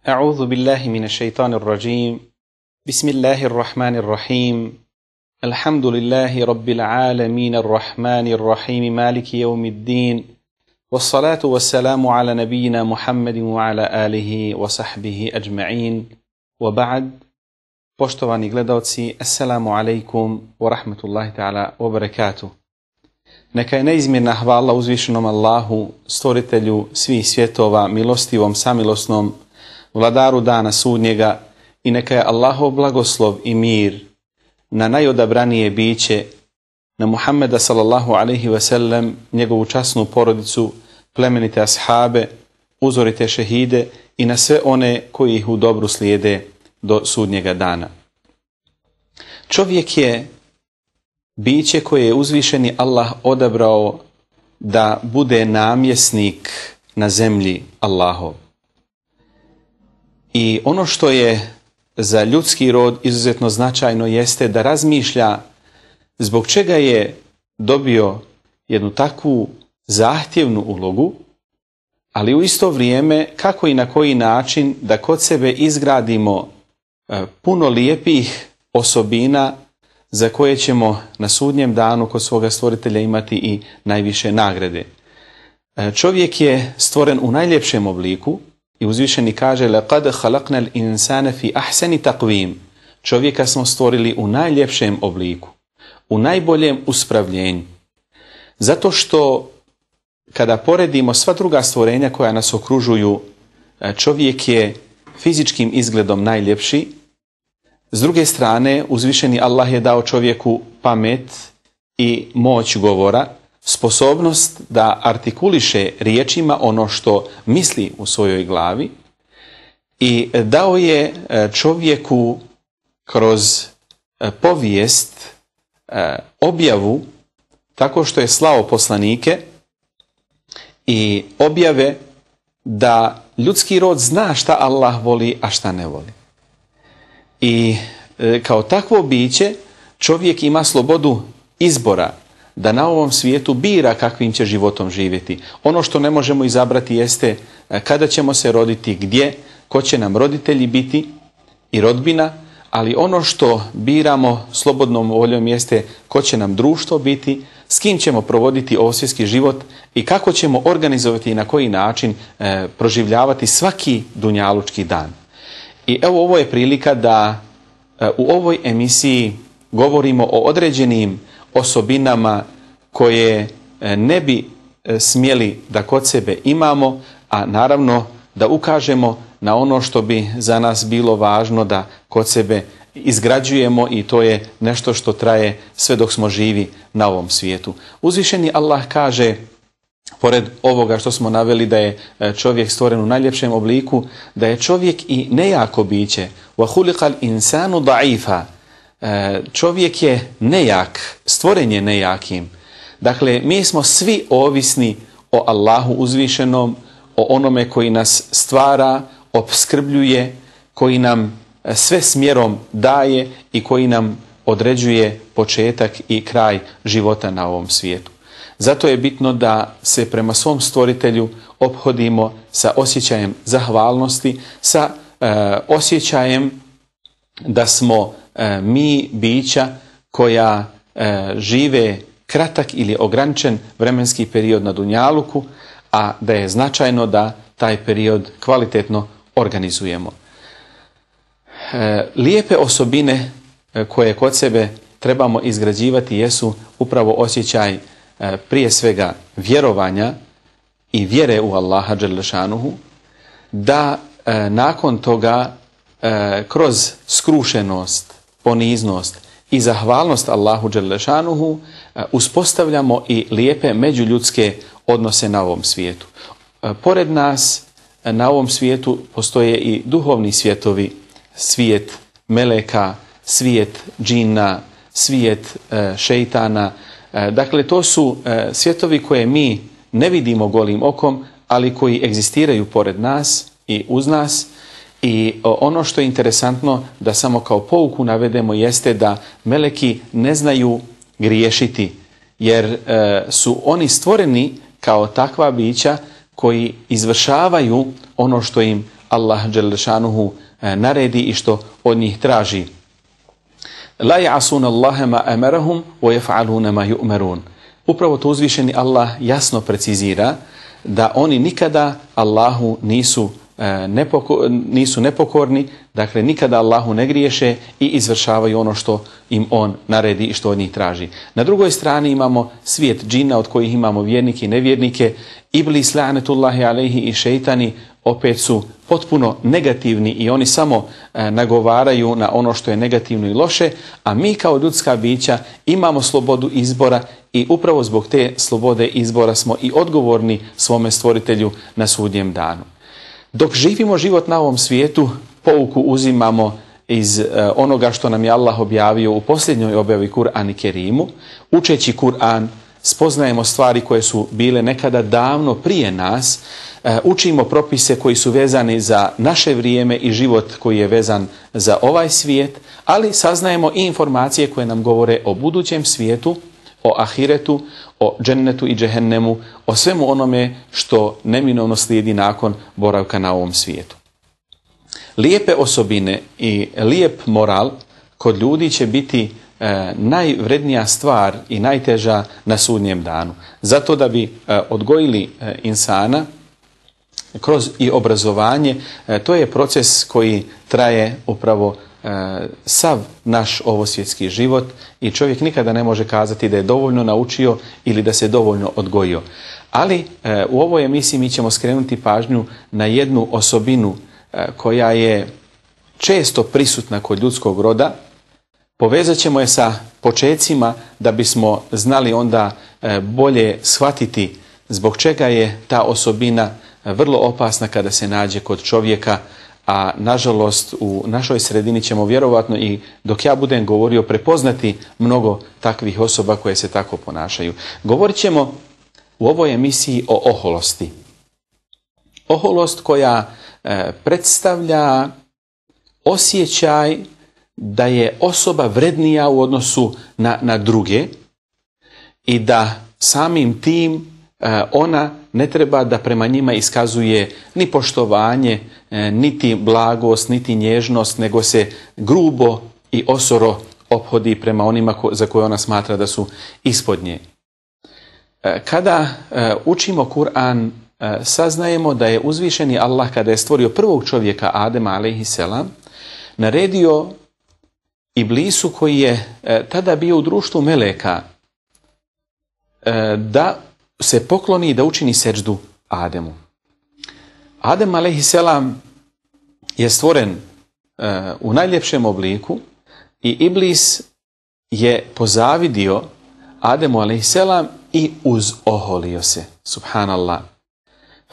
أعوذ بالله من الشيطان الرجيم بسم الله الرحمن الرحيم الحمد لله رب العالمين الرحمن الرحيم مالك يوم الدين والصلاة والسلام على نبينا محمد وعلى آله وصحبه أجمعين وبعد. Poštovani gledalci, assalamu alaikum wa rahmatullahi ta'ala wa barakatuh. Neka je neizmjerna hvala uzvišenom Allahu, stvoritelju svih svjetova, milostivom, samilosnom, vladaru dana sudnjega, i neka je Allahov blagoslov i mir na najodabranije biće, na Muhammeda sallallahu alaihi ve sellem, njegovu časnu porodicu, plemenite ashabe, uzorite šehide i na sve one koji ih u dobru slijede do sudnjega dana. Čovjek je biće koje je uzvišeni Allah odabrao da bude namjesnik na zemlji Allahov. I ono što je za ljudski rod izuzetno značajno jeste da razmišlja zbog čega je dobio jednu takvu zahtjevnu ulogu, ali u isto vrijeme kako i na koji način da kod sebe izgradimo puno lijepih osobina za koje ćemo na sudnjem danu kod svoga stvoritelja imati i najviše nagrade. Čovjek je stvoren u najljepšem obliku i uzvišeni kaže لَقَدْ خَلَقْنَا الْإِنسَانَ فِي أَحْسَنِ تَقْوِيمٍ. Čovjeka smo stvorili u najljepšem obliku, u najboljem uspravljenju. Zato što kada poredimo sva druga stvorenja koja nas okružuju, čovjek je fizičkim izgledom najljepši. S druge strane, uzvišeni Allah je dao čovjeku pamet i moć govora, sposobnost da artikuliše riječima ono što misli u svojoj glavi, i dao je čovjeku kroz povijest objavu tako što je slao poslanike i objave da ljudski rod zna šta Allah voli, a šta ne voli. I kao takvo biće čovjek ima slobodu izbora da na ovom svijetu bira kakvim će životom živjeti. Ono što ne možemo izabrati jeste kada ćemo se roditi, gdje, ko će nam roditelji biti i rodbina, ali ono što biramo slobodnom voljom jeste ko će nam društvo biti, s kim ćemo provoditi ovsvjetski život i kako ćemo organizovati i na koji način proživljavati svaki dunjalučki dan. I evo, ovo je prilika da u ovoj emisiji govorimo o određenim osobinama koje ne bi smjeli da kod sebe imamo, a naravno da ukažemo na ono što bi za nas bilo važno da kod sebe izgrađujemo, i to je nešto što traje sve dok smo živi na ovom svijetu. Uzvišeni Allah kaže, pored ovoga što smo naveli da je čovjek stvoren u najljepšem obliku, da je čovjek i nejako biće. وَخُلِقَ الْإِنسَانُ ضَعِيفًا. Čovjek je nejak, stvoren je nejakim. Dakle, mi smo svi ovisni o Allahu uzvišenom, o onome koji nas stvara, opskrbljuje, koji nam sve smjerom daje i koji nam određuje početak i kraj života na ovom svijetu. Zato je bitno da se prema svom stvoritelju ophodimo sa osjećajem zahvalnosti, sa osjećajem da smo mi bića koja žive kratak ili ograničen vremenski period na dunjaluku, a da je značajno da taj period kvalitetno organizujemo. Lijepe osobine koje kod sebe trebamo izgrađivati jesu upravo osjećaj prije svega vjerovanja i vjere u Allaha dželle šanuhu, da nakon toga kroz skrušenost, poniznost i zahvalnost Allahu dželle šanuhu uspostavljamo i lijepe međuljudske odnose na ovom svijetu. Pored nas na ovom svijetu postoje i duhovni svijetovi, svijet meleka, svijet džina, svijet šejtana. Dakle, to su svjetovi koje mi ne vidimo golim okom, ali koji egzistiraju pored nas i uz nas. I ono što je interesantno da samo kao pouku navedemo jeste da meleki ne znaju griješiti, jer su oni stvoreni kao takva bića koji izvršavaju ono što im Allah dželle šanuhu naredi i što od njih traži. La ya'sun Allaha ma amarahum wa yaf'aluna ma yu'marun. Upravo to uzvišeni Allah jasno precizira da oni nikada Allahu nisu nepokorni, dakle nikada Allahu ne griješe i izvršavaju ono što im on naredi i što od njih traži. Na drugoj strani imamo svijet džina od kojih imamo vjernike i nevjernike. Iblis la'netullahi alejhi i šejtani opet su potpuno negativni i oni samo nagovaraju na ono što je negativno i loše, a mi kao ljudska bića imamo slobodu izbora i upravo zbog te slobode izbora smo i odgovorni svome stvoritelju na sudnjem danu. Dok živimo život na ovom svijetu, pouku uzimamo iz onoga što nam je Allah objavio u posljednjoj objavi Kur'an i Kerimu. Učeći Kur'an spoznajemo stvari koje su bile nekada davno prije nas, učimo propise koji su vezani za naše vrijeme i život koji je vezan za ovaj svijet, ali saznajemo i informacije koje nam govore o budućem svijetu, o ahiretu, o džennetu i džehennemu, o svemu onome što neminovno slijedi nakon boravka na ovom svijetu. Lijepe osobine i lijep moral kod ljudi će biti najvrednija stvar i najteža na sudnjem danu. Zato da bi odgojili insana kroz i obrazovanje, to je proces koji traje upravo sav naš ovosvjetski život i čovjek nikada ne može kazati da je dovoljno naučio ili da se dovoljno odgojio. Ali u ovoj emisiji mi ćemo skrenuti pažnju na jednu osobinu koja je često prisutna kod ljudskog roda. Povezat ćemo je sa počecima da bismo znali onda bolje shvatiti zbog čega je ta osobina vrlo opasna kada se nađe kod čovjeka, a nažalost u našoj sredini ćemo vjerovatno i dok ja budem govorio prepoznati mnogo takvih osoba koje se tako ponašaju. Govorit ćemo u ovoj emisiji o oholosti. Oholost koja predstavlja osjećaj da je osoba vrednija u odnosu na druge i da samim tim ona ne treba da prema njima iskazuje ni poštovanje, niti blagost, niti nježnost, nego se grubo i osoro ophodi prema onima za koje ona smatra da su ispod nje. Kada učimo Kur'an, saznajemo da je uzvišeni Allah kada je stvorio prvog čovjeka Adema alejhiselam naredio Iblisu koji je tada bio u društvu meleka da se pokloni i da učini seđdu Ademu. Adem alejhiselam je stvoren u najljepšem obliku i Iblis je pozavidio Ademu alejhiselam i uzoholio se. Subhanallah.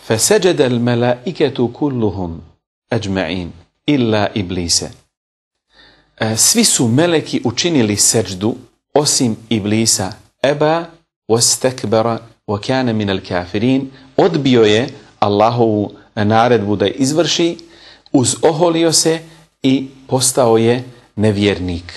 فَسَجَدَ الْمَلَائِكَةُ كُلُّهُمْ أَجْمَعِينَ إِلَّا إِبْلِيسَ. Svi su meleki učinili seđdu osim Iblisa. Eba wastakbara wa kana min al-kafirin. Odbio je Allahovu naredbu da izvrši, uzoholio se i postao je nevjernik.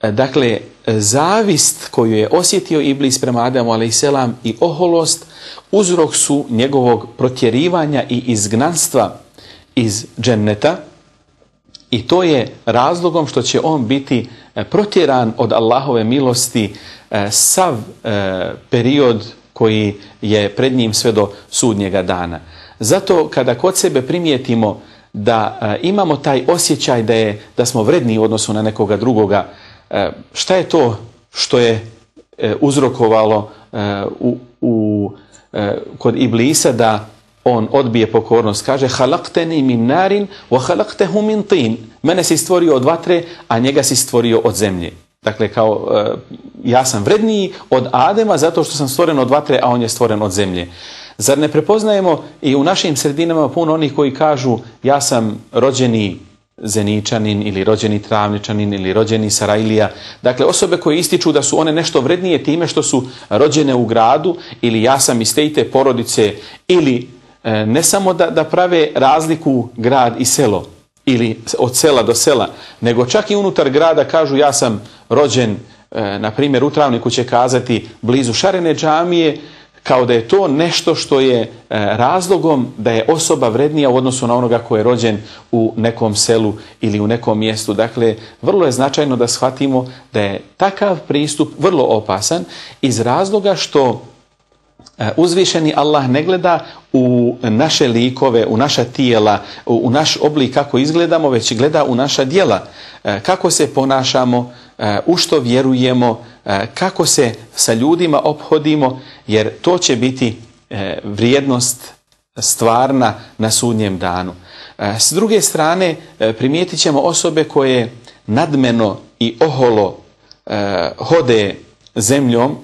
Dakle, zavist koju je osjetio Iblis prema Adamu alejhiselam i oholost uzrok su njegovog protjerivanja i izgnanstva iz dženneta i to je razlogom što će on biti protjeran od Allahove milosti sav period koji je pred njim sve do sudnjega dana. Zato kada kod sebe primijetimo da imamo taj osjećaj da smo vredniji u odnosu na nekoga drugoga, šta je to što je uzrokovalo kod Iblisa da on odbije pokornost? Kaže: "Halaqtani min narin wa halaqtahu min tin." Mene si stvorio od vatre, a njega si stvorio od zemlje. Dakle, kao ja sam vredniji od Adema zato što sam stvoren od vatre, a on je stvoren od zemlje. Zar ne prepoznajemo i u našim sredinama puno onih koji kažu ja sam rođeni Zeničanin ili rođeni Travničanin ili rođeni Sarajlija. Dakle, osobe koje ističu da su one nešto vrednije time što su rođene u gradu ili ja sam iz te i te porodice ili ne samo da prave razliku grad i selo ili od sela do sela, nego čak i unutar grada kažu ja sam rođen, na primjer u Travniku će kazati blizu Šarene džamije, kao da je to nešto što je razlogom da je osoba vrednija u odnosu na onoga ko je rođen u nekom selu ili u nekom mjestu. Dakle, vrlo je značajno da shvatimo da je takav pristup vrlo opasan iz razloga što uzvišeni Allah ne gleda u naše likove, u naša tijela, u naš oblik kako izgledamo, već gleda u naša djela, kako se ponašamo, u što vjerujemo, kako se sa ljudima ophodimo, jer to će biti vrijednost stvarna na sudnjem danu. S druge strane, primijetit ćemo osobe koje nadmeno i oholo hode zemljom,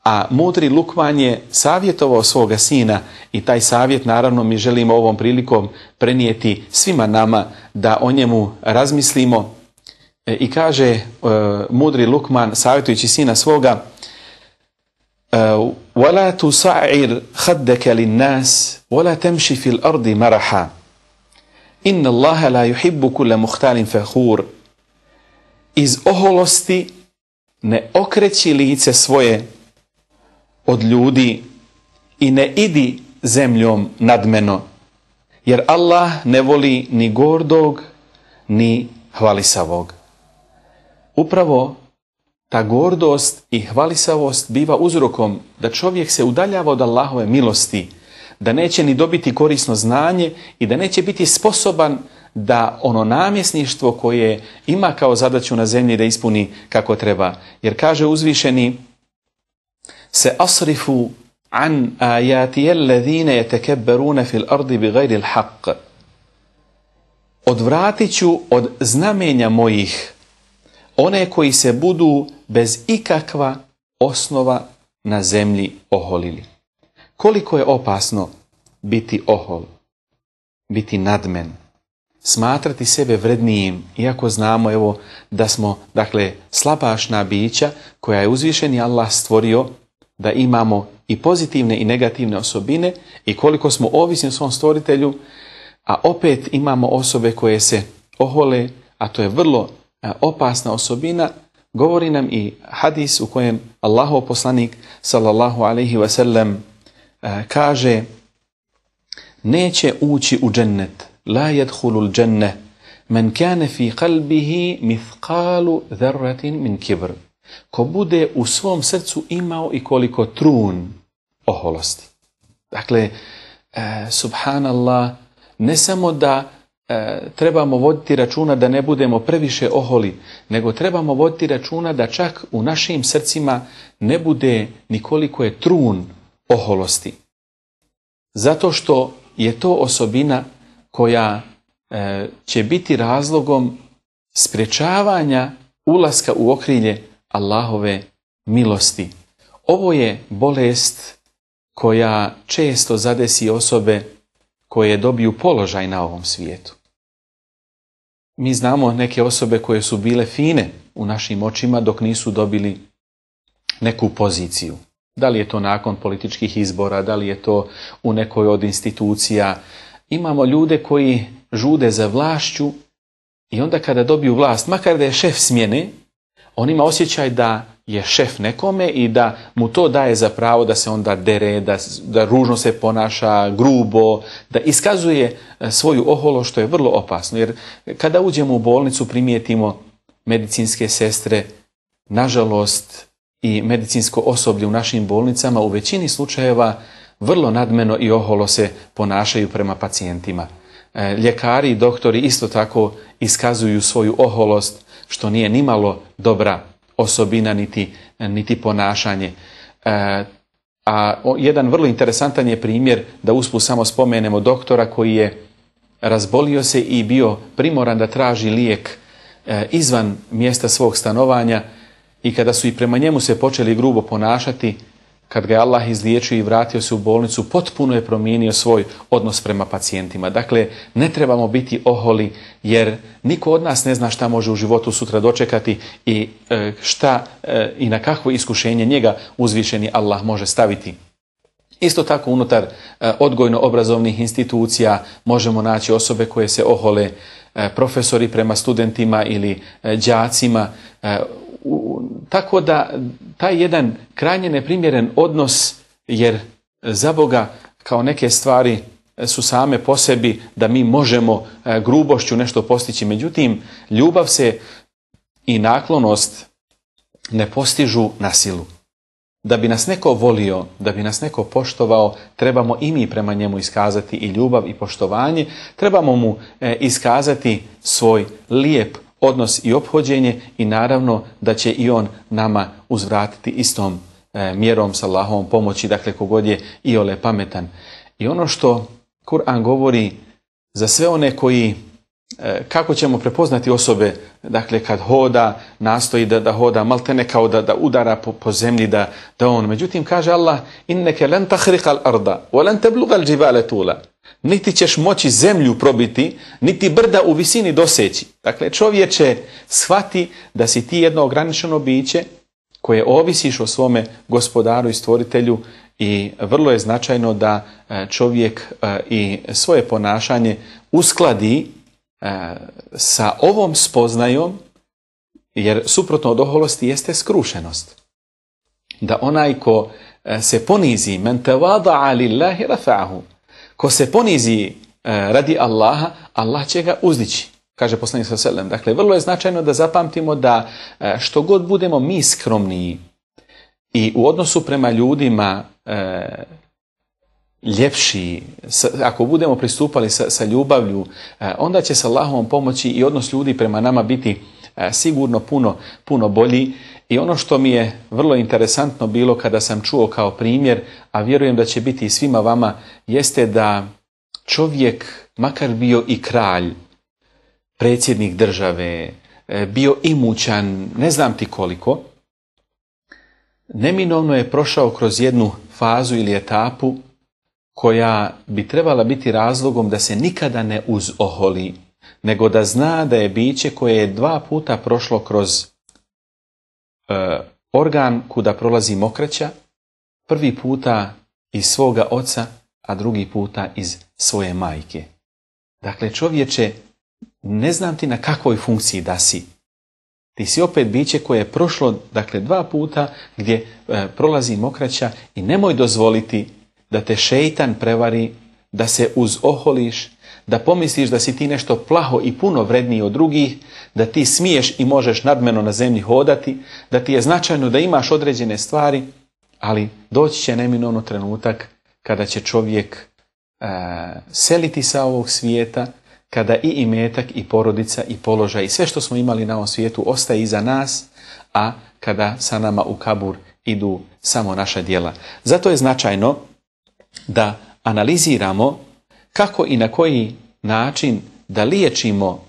a mudri Lukman je savjetovao svoga sina i taj savjet naravno mi želimo ovom prilikom prenijeti svima nama da o njemu razmislimo. I kaže mudri Lukman savjetujući sina svoga: وَلَا تُسَعِّرْ خَدَّكَ لِلنَّاسِ وَلَا تَمْشِ فِي الْأَرْضِ مَرَحًا إِنَّ اللَّهَ لَا يُحِبُّ كُلَّ مُخْتَالٍ فَخُورٍ. Iz oholosti ne okreći lice svoje od ljudi i ne idi zemljom nadmeno, jer Allah ne voli ni gordog ni hvalisavog. Upravo ta gordost i hvalisavost biva uzrokom da čovjek se udaljava od Allahove milosti, da neće ni dobiti korisno znanje i da neće biti sposoban da ono namjesništvo koje ima kao zadaću na zemlji da ispuni kako treba. Jer kaže uzvišeni: se asrifu an ajati alladhina yatakabbaruna fil ardi bighayri al-haqq. Odvratit ću od znamenja mojih one koji se budu bez ikakva osnova na zemlji oholili. Koliko je opasno biti ohol, biti nadmen, smatrati sebe vrednijim, iako znamo evo da smo slabašna bića koja je uzvišeni Allah stvorio da imamo i pozitivne i negativne osobine i koliko smo ovisni o svom stvoritelju, a opet imamo osobe koje se ohole, a to je vrlo opasna osobina. Govori nam i hadis u kojem Allahov poslanik sallallahu alejhi ve sellem kaže: neće ući u džennet, la yadkhulul dženne men kane fi qalbihi mithqalu dharratin min kibr. Ko bude u svom srcu imao i koliko trun oholosti. Dakle, subhanallah, ne samo da trebamo voditi računa da ne budemo previše oholi, nego trebamo voditi računa da čak u našim srcima ne bude ni koliko je trun oholosti. Zato što je to osobina koja će biti razlogom sprječavanja ulaska u okrilje Allahove milosti. Ovo je bolest koja često zadesi osobe koje dobiju položaj na ovom svijetu. Mi znamo neke osobe koje su bile fine u našim očima dok nisu dobili neku poziciju. Da li je to nakon političkih izbora, da li je to u nekoj od institucija. Imamo ljude koji žude za vlašću i onda kada dobiju vlast, makar da je šef smjene, on ima osjećaj da je šef nekome i da mu to daje za pravo da se onda dere, da ružno se ponaša, grubo, da iskazuje svoju oholost, što je vrlo opasno. Jer kada uđemo u bolnicu primijetimo medicinske sestre, nažalost i medicinsko osoblje u našim bolnicama u većini slučajeva vrlo nadmeno i oholo se ponašaju prema pacijentima. Ljekari i doktori isto tako iskazuju svoju oholost, što nije nimalo dobra osobina niti ponašanje. A jedan vrlo interesantan je primjer, da usput samo spomenemo doktora koji je razbolio se i bio primoran da traži lijek izvan mjesta svog stanovanja i kada su i prema njemu se počeli grubo ponašati, kad ga je Allah izliječio i vratio se u bolnicu, potpuno je promijenio svoj odnos prema pacijentima. Dakle, ne trebamo biti oholi, jer niko od nas ne zna šta može u životu sutra dočekati i i na kakvo iskušenje njega uzvišeni Allah može staviti. Isto tako unutar odgojno-obrazovnih institucija možemo naći osobe koje se ohole, profesori prema studentima ili đacima, tako da taj jedan krajnje neprimjeren odnos, jer za Boga kao neke stvari su same po sebi da mi možemo grubošću nešto postići. Međutim, ljubav se i naklonost ne postižu na silu. Da bi nas neko volio, da bi nas neko poštovao, trebamo i mi prema njemu iskazati i ljubav i poštovanje. Trebamo mu iskazati svoj lijep odnos i ophođenje i naravno da će i on nama uzvratiti istom mjerom sa Allahovom pomoći, dakle kogod je iole pametan. I ono što Kur'an govori za sve one koji, kako ćemo prepoznati osobe, dakle kad hoda, nastoji da hoda maltene kao da udara po zemlji, da on. Međutim, kaže Allah, inneke len tahriqal arda, wa len teblugal džibale tula. Niti ćeš moći zemlju probiti, niti brda u visini doseći. Dakle, čovječe, shvati da si ti jedno ograničeno biće koje ovisiš o svome gospodaru i stvoritelju i vrlo je značajno da čovjek i svoje ponašanje uskladi sa ovom spoznajom, jer suprotno od oholosti jeste skrušenost. Da onaj ko se ponizi, men tevada'a lillahi rafa'ahu, ko se ponizi radi Allaha, Allah će ga uzdići, kaže poslanik sallallahu alejhi ve sellem. Dakle, vrlo je značajno da zapamtimo da što god budemo mi skromniji i u odnosu prema ljudima ljepši, ako budemo pristupali sa ljubavlju, onda će sa Allahovom pomoći i odnos ljudi prema nama biti sigurno puno bolji. I ono što mi je vrlo interesantno bilo kada sam čuo kao primjer, a vjerujem da će biti i svima vama, jeste da čovjek, makar bio i kralj, predsjednik države, bio imućan, ne znam ti koliko, neminovno je prošao kroz jednu fazu ili etapu koja bi trebala biti razlogom da se nikada ne uzoholi, nego da zna da je biće koje je 2 puta prošlo kroz organ kuda prolazi mokraća, prvi puta iz svoga oca, a drugi puta iz svoje majke. Dakle, čovječe, ne znam ti na kakvoj funkciji da si. Ti si opet biće koje je prošlo, dakle, 2 puta gdje prolazi mokraća i nemoj dozvoliti da te šejtan prevari, da se uzoholiš, da pomisliš da si ti nešto plaho i puno vredniji od drugih, da ti smiješ i možeš nadmeno na zemlji hodati, da ti je značajno da imaš određene stvari, ali doći će neminovno trenutak kada će čovjek seliti sa ovog svijeta, kada i imetak i porodica i položaj i sve što smo imali na ovom svijetu ostaje iza nas, a kada sa nama u kabur idu samo naša djela. Zato je značajno da analiziramo kako i na koji način da liječimo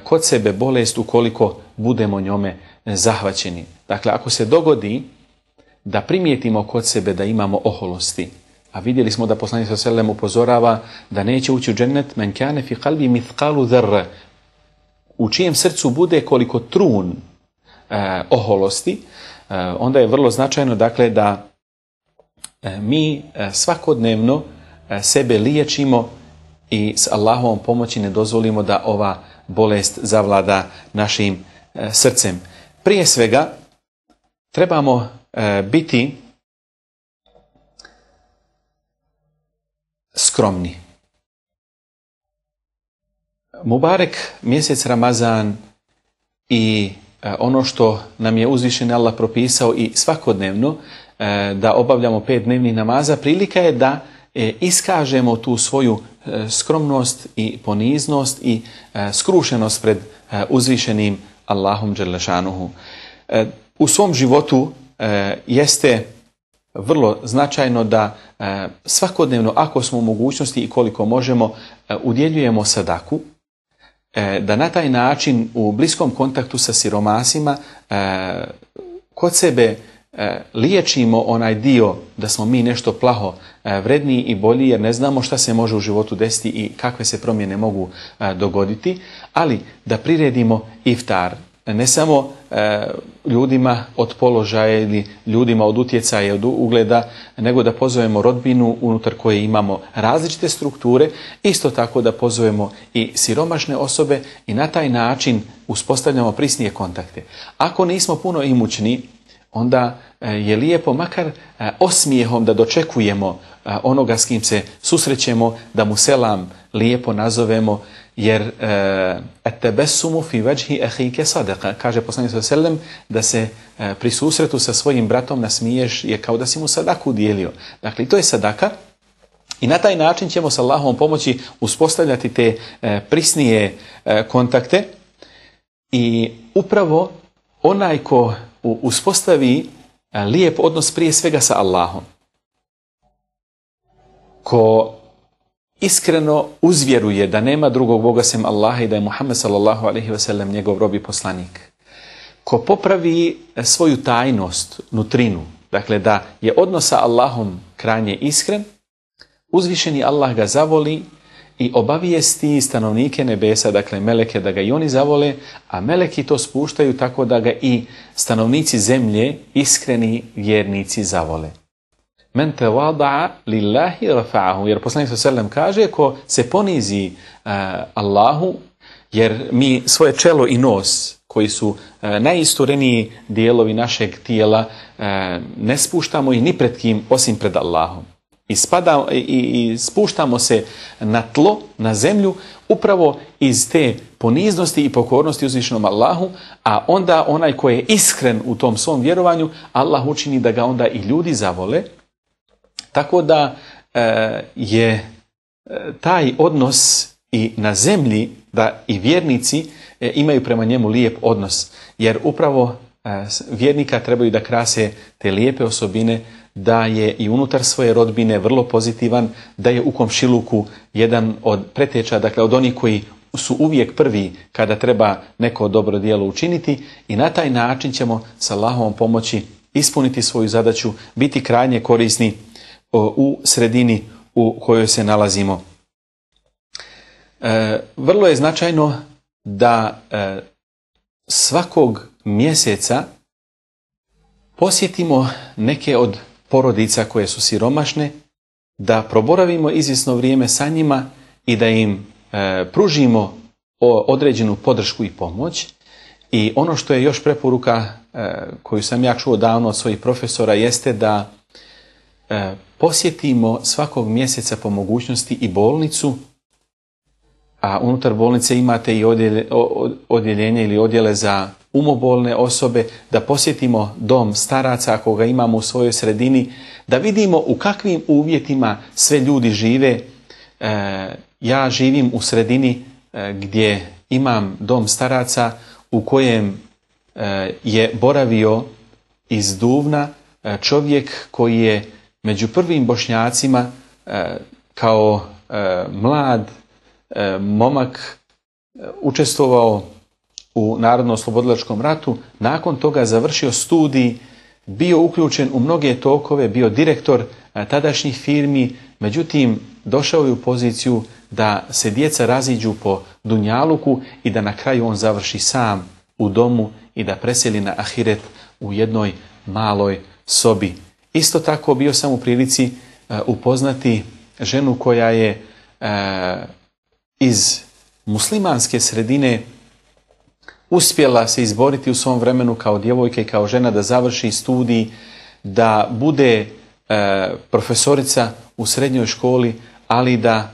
kod sebe bolest ukoliko budemo njome zahvaćeni. Dakle, ako se dogodi da primijetimo kod sebe da imamo oholosti, a vidjeli smo da poslanik sallallahu alejhi ve sellem upozorava da neće ući u džennet men kane fi qalbi mithqalu dharra, u čijem srcu bude koliko trun oholosti, onda je vrlo značajno, dakle, da mi svakodnevno sebe liječimo i s Allahovom pomoći ne dozvolimo da ova bolest zavlada našim srcem. Prije svega trebamo biti skromni. Mubarek mjesec Ramazan i ono što nam je uzvišeni Allah propisao i svakodnevno da obavljamo 5 dnevnih namaza, prilika je da iskažemo tu svoju skromnost i poniznost i skrušenost pred uzvišenim Allahom dželle šanuhu. U svom životu jeste vrlo značajno da svakodnevno, ako smo u mogućnosti i koliko možemo, udjeljujemo sadaku, da na taj način u bliskom kontaktu sa siromasima kod sebe liječimo onaj dio da smo mi nešto plaho vredniji i bolji, jer ne znamo šta se može u životu desiti i kakve se promjene mogu dogoditi, ali da priredimo iftar, ne samo ljudima od položaja ili ljudima od utjecaja, od ugleda, nego da pozovemo rodbinu unutar koje imamo različite strukture, isto tako da pozovemo i siromašne osobe i na taj način uspostavljamo prisnije kontakte. Ako nismo puno imućni, onda je lijepo makar osmijehom da dočekujemo onoga s kim se susrećemo, da mu selam lijepo nazovemo, jer at-tabassumu fi wajhi akhika sadaqa, kaže poslanik sallallahu alejhi ve sellem, da se pri susretu sa svojim bratom nasmiješ je kao da si mu sadaku dijelio. Dakle, to je sadaka. I na taj način ćemo sa Allahovom pomoći uspostavljati te prisnije kontakte. I upravo onaj ko uspostavi lijep odnos prije svega sa Allahom, ko iskreno uzvjeruje da nema drugog Boga sem Allaha i da je Muhammed sallallahu alejhi ve sellem njegov rob i poslanik, ko popravi svoju tajnost, nutrinu, dakle da je odnos sa Allahom krajnje iskren, uzvišeni Allah ga zavoli i obavijesti stanovnike nebesa, dakle meleke, da ga i oni zavole, a meleki to spuštaju tako da ga i stanovnici zemlje, iskreni vjernici, zavole. Men tawada'a lillahi rafa'ahu, jer poslanik sallallahu alejhi ve sellem kaže, ko se ponizi Allahu, jer mi svoje čelo i nos, koji su najistureniji dijelovi našeg tijela, ne spuštamo ih ni pred kim osim pred Allahom. I spuštamo se na tlo, na zemlju, upravo iz te poniznosti i pokornosti uzvišenom Allahu, a onda onaj koji je iskren u tom svom vjerovanju, Allah učini da ga onda i ljudi zavole, tako da je taj odnos i na zemlji, da i vjernici imaju prema njemu lijep odnos, jer upravo vjernika trebaju da krase te lijepe osobine, da je i unutar svoje rodbine vrlo pozitivan, da je u komšiluku jedan od preteča, dakle od onih koji su uvijek prvi kada treba neko dobro djelo učiniti, i na taj način ćemo sa Allahovom pomoći ispuniti svoju zadaću, biti krajnje korisni u sredini u kojoj se nalazimo. Vrlo je značajno da svakog mjeseca posjetimo neke od porodica koje su siromašne, da proboravimo izvjesno vrijeme sa njima i da im pružimo određenu podršku i pomoć. I ono što je još preporuka koju sam ja čuo davno od svojih profesora jeste da posjetimo svakog mjeseca po mogućnosti i bolnicu, a unutar bolnice imate i odjeljenje ili odjele za umobolne osobe, da posjetimo dom staraca ako ga imamo u svojoj sredini, da vidimo u kakvim uvjetima sve ljudi žive. Ja živim u sredini gdje imam dom staraca u kojem je boravio iz Duvna čovjek koji je među prvim Bošnjacima kao mlad momak učestvovao u Narodno-oslobodilačkom ratu, nakon toga završio studij, bio uključen u mnoge tokove, bio direktor tadašnjih firmi, međutim došao je u poziciju da se djeca raziđu po dunjaluku i da na kraju on završi sam u domu i da preseli na ahiret u jednoj maloj sobi. Isto tako bio sam u prilici upoznati ženu koja je iz muslimanske sredine uspjela se izboriti u svom vremenu kao djevojka i kao žena da završi studij, da bude profesorica u srednjoj školi, ali da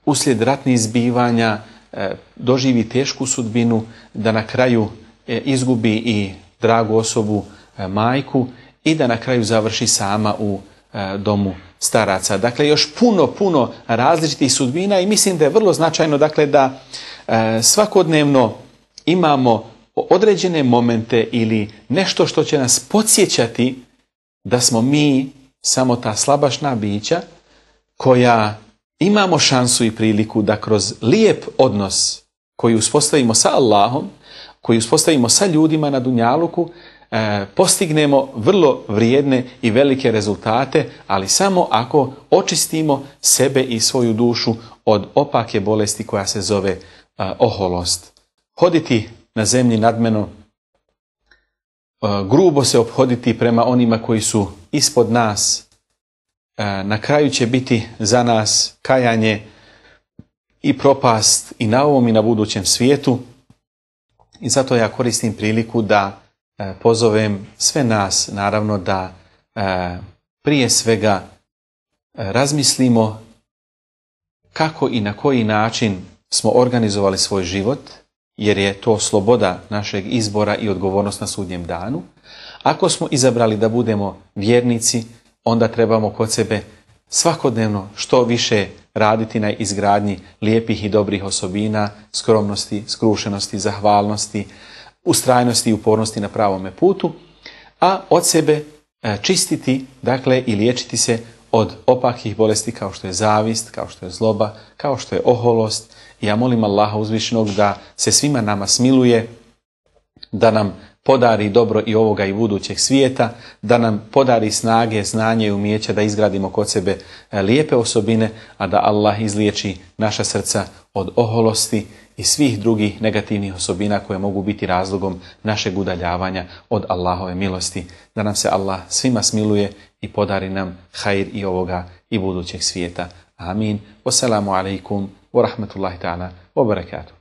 uslijed ratnih zbivanja doživi tešku sudbinu, da na kraju izgubi i dragu osobu, majku, i da na kraju završi sama u domu staraca. Dakle, još puno različitih sudbina, i mislim da je vrlo značajno, dakle, da svakodnevno imamo određene momente ili nešto što će nas podsjećati da smo mi samo ta slabašna bića koja imamo šansu i priliku da kroz lijep odnos koji uspostavimo sa Allahom, koji uspostavimo sa ljudima na dunjaluku, postignemo vrlo vrijedne i velike rezultate, ali samo ako očistimo sebe i svoju dušu od opake bolesti koja se zove oholost. Hoditi na zemlji nadmeno, grubo se ophoditi prema onima koji su ispod nas, na kraju će biti za nas kajanje i propast i na ovom i na budućem svijetu. I zato ja koristim priliku da pozovem sve nas, naravno, da prije svega razmislimo kako i na koji način smo organizovali svoj život, jer je to sloboda našeg izbora i odgovornost na sudnjem danu. Ako smo izabrali da budemo vjernici, onda trebamo kod sebe svakodnevno što više raditi na izgradnji lijepih i dobrih osobina, skromnosti, skrušenosti, zahvalnosti, ustrajnosti i upornosti na pravome putu, a od sebe čistiti, dakle, i liječiti se od opakih bolesti kao što je zavist, kao što je zloba, kao što je oholost. Ja molim Allaha uzvišenog da se svima nama smiluje, da nam podari dobro i ovoga i budućeg svijeta, da nam podari snage, znanje i umijeća da izgradimo kod sebe lijepe osobine, a da Allah izliječi naša srca od oholosti i svih drugih negativnih osobina koje mogu biti razlogom našeg udaljavanja od Allahove milosti. Da nam se Allah svima smiluje i podari nam hajr i ovoga i budućeg svijeta. Amin. Wassalamu alaikum wa rahmatullahi ta'ala wa barakatuh.